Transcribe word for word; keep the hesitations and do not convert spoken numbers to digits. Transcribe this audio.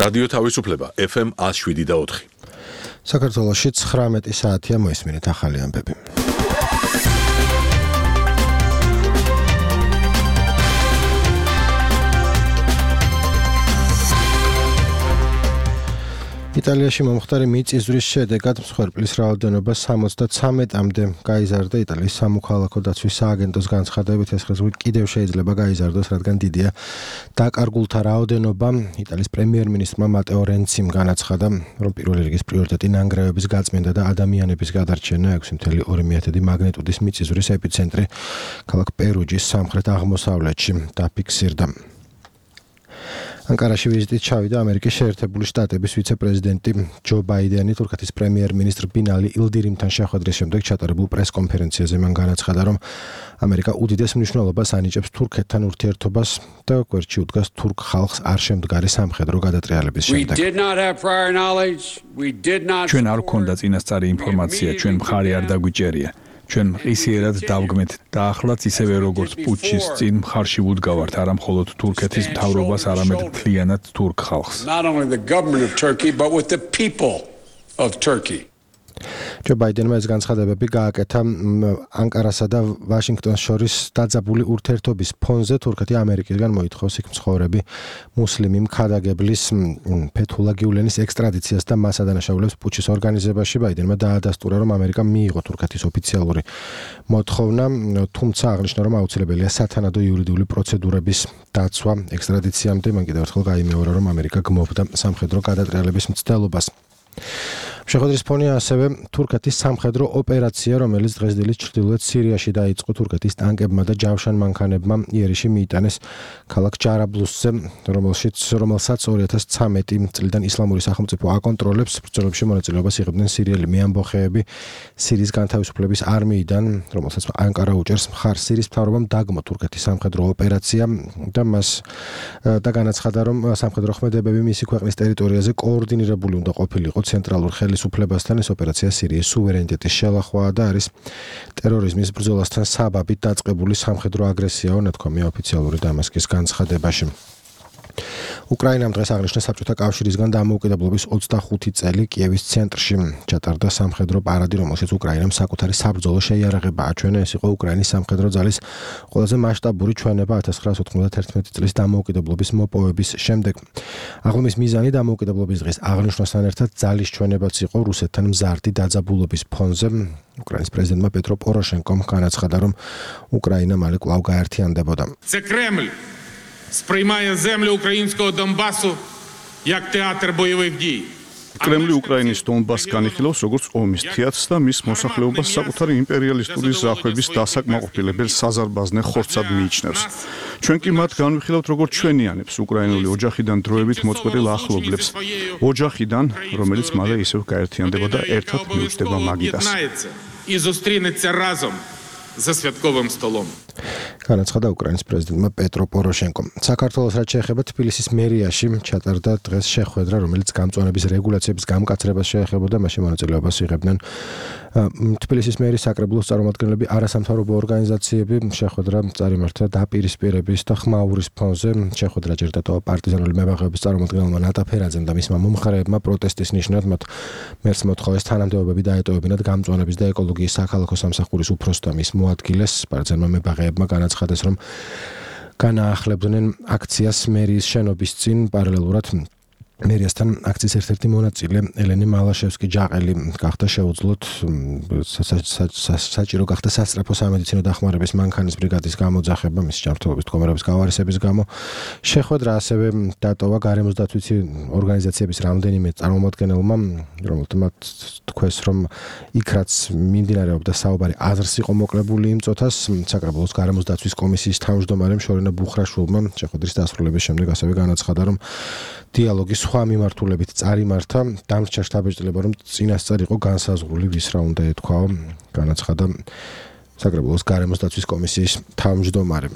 რადიო თავისუფლება F M one oh seven და ოთხი. საქართველოში ცხრამეტი საათია მოისმინეთ ახალი ამბები. იტალიაში მომხდარი მიწისძვრის შედეგად მსხვერპლის რაოდენობა სამოცდათრამეტამდე გაიზარდა. იტალიის სამოქალაქო დაცვის სააგენტოს განცხადებით ეს ხაზი კიდევ შეიძლება გაიზარდოს, რადგან დიდია დაკარგულთა რაოდენობა. იტალიის პრემიერ-მინისტრმა მატეო რენციმ განაცხადა, რომ პირველი რიგის პრიორიტეტი ნანგრევების გაწმენდა და ადამიანების გადარჩენა. ექვსი целых ორი დეციმი მაგნიტუდის მიწისძვრის ეპიცენტრი ქალაქ პერუჯის სამხრეთ აღმოსავლეთში დაფიქსირდა. ანკარაში ვიზიტით ჩავიდა ამერიკის შეერთებული შტატების ვიცე-პრეზიდენტი ჯო ბაიდენი. თურქეთის პრემიერ-მინისტრ ბინალი ილდირიმთან შეხვედრის შემდეგ ჩატარებულ პრეს-კონფერენციაზე მან განაცხადა, რომ ამერიკა უდიდეს მნიშვნელობას ანიჭებს თურქეთთან ურთიერთობას და გვერდში უდგას თურქ ხალხს არ შემდგარი სამხედრო გადატრიალების შემდეგ. ჩვენ არ გვქონდა წინასწარი ინფორმაცია, ჩვენ მხარი არ დაგვიჭერია. ჩვენ მყისიერად დავგმეთ და ახლაც ისევე როგორც პუტჩის წინ მხარში ვუდგავართ არა მხოლოდ თურქეთის მთავრობას, არამედ მთლიანად თურქ ხალხს. ჯო ბაიდენმა ეს განცხადებები გააკეთა ანკარასა და ვაშინგტონს შორის დაძაბული ურთიერთობის ფონზე. თურქეთი ამერიკისგან მოითხოვს იქ მცხოვრები მუსლიმი მხარდაგებლის ფეთულა გიულენის ექსტრადიციას და მას ადანაშაულებს პუტჩის ორგანიზებაში. ბაიდენმა დაადასტურა, რომ ამერიკა მიიღო თურქეთის ოფიციალური მოთხოვნა, თუმცა აღნიშნა, რომ აუცილებელია სათანადო იურიდიული პროცედურების დაცვა ექსტრადიციამდე. მან კიდევ ერთხელ გაიმეორა, რომ ამერიკა გმობდა სამხედრო გადატრიალების მცდელობას. შეხვედრის ფონია ასევე თურქეთის სამხედრო ოპერაცია, რომელიც დღესდღეობით ჩრდილოეთ სირიაში დაიწყო. თურქეთის ტანკებმა და ჯავშან მანქანებმა იერიში მიიტანეს ქალაქ ჯარაბლუსზე, რომელშიც რომელსაც ორი ათას ცხრამეტი წლიდან ისლამური სახელმწიფო აკონტროლებს. ბრძოლებში მონაწილეობას იღებდნენ სირიელი მეამბოხეები სირიის განთავისუფლების არმიიდან, რომელსაც ანკარა უჭერს მხარს. სირიის მთავრობამ დაგმო თურქეთის სამხედრო ოპერაცია და მას და განაცხადა, რომ სამხედრო ქმედებები მისი ქვეყნის ტერიტორიაზე კოორდინირებული უნდა ყოფილიყო ცენტრალურ ხელისუფლებასთან. ეს ოპერაცია სირიის სუვერენიტეტის შელახვაა და არის ტერორიზმის ბრძოლასთან საბაბით დაწყებული სამხედრო აგრესიაო, ნათქვამია ოფიციალური დამასკის განცხადებაში. უკრაინამ დღეს აღნიშნა საბჭოთა კავშირისგან დამოუკიდებლობის ოცდახუთი წელი. კიევის ცენტრში ჩატარდა სამხედრო პარადი, რომელშიც უკრაინამ საკუთარი საბრძოლო შეიარაღება აჩვენა. ეს იყო უკრაინის სამხედრო ძალის ყველაზე მასშტაბური ჩვენება ათას ცხრაასი ოცდაათერთმეტი წლის დამოუკიდებლობის მოპოვების შემდეგ. აღლუმის მიზანი დამოუკიდებლობის დღის აღნიშვნასთან ერთად ძალის ჩვენებაც იყო რუსეთთან მზარდი დაძაბულობის фонზე. უკრაინის პრეზიდენტმა პეტრო პოროშენკომ განაცხადა, რომ უკრაინა მალე კვლავ გაერთიანდებოდა. Сприймає землю українського Донбасу як театр бойових дій. კრემლი უკრაინის დონბასს განიხილავს როგორც ომის თეატრს და მის მოსახლეობას საკუთარი იმპერიალისტური ზახვების დასაკმაყოფილებელ საზარბაზნე ხორცად მიიჩნევს. ჩვენ კი მათ განვიხილავთ როგორც ჩვენიანებს, უკრაინული ოჯახიდან დროებით მოწყვეტილ ახლობლებს, ოჯახიდან, რომელიც მალე ისევ გაერთიანდებოდა ერთად მიუჯდება მაგიდას. І зустрінеться разом за святковим столом. განაცხადა უკრაინის პრეზიდენტმა პეტრო პოროშენკომ. საქართველოს რაც შეეხება თბილისის მერიაში ჩატარდა დღეს შეხვედრა, რომელიც გამწვანების რეგულაციების გამკაცრებას შეეხებოდა. მაშინ მონაწილეობას იღებდნენ თბილისის მერის საკრებულოს წარმომადგენლები, არასამთავრობო ორგანიზაციები. შეხვედრა წარიმართა დაპირისპირების და ხმაურის ფონზე. შეხვედრა ჯერდა პარტიზანული მებაღეობის წარმომადგენელმა ნატა ფერაძემ და მისმა მომხრეებმა პროტესტის ნიშნად მათ მერს მოთხოვეს თანამდებობები დაეტოვებინათ გამწვანების და ეკოლოგიის საქალაქო სამსახურის უფროსს და მის მოადგილეს. პარტიზანმა მებაღეებმა განაცხადეს, რომ განაახლებდნენ აქციას მერიის შენობის წინ. პარალელურად მერიასთან აქციის ერთ-ერთი მონაწილე ელენე მალაშევსკი ჯაყელი გახდა შეუძლოთ საჭირო გახდა სასწრაფო სამედიცინო დახმარების მანქანის ბრიგადის გამოძახება მის ჯანმრთელობის მდგომარეობის გავარისების გამო. შეხვედრა ასევე დატოვა გარემოს დაცვის ორგანიზაციების რამდენიმე წარმომადგენელმა, რომელთაც თქვეს, რომ იქ რაც მიმდინარეობდა საუბარი აზრს იყო მოკლებული იმ წუთას. საკრებულოს გარემოს დაცვის კომისიის თავმჯდომარემ შორენა ბუხრაშვილმა შეხვედრის დასრულების შემდეგ ასევე განაცხადა, რომ დიალოგის სხვა მიმართულებით წარიმართა. დამრჩა შტაბ-ბიჭდილება, რომ წინასწარ იყო განსაზღვრული ვის რა უნდა ეთქვაო, განაცხადა საკრებულოს გარემოს დაცვის კომისიის თავმჯდომარე.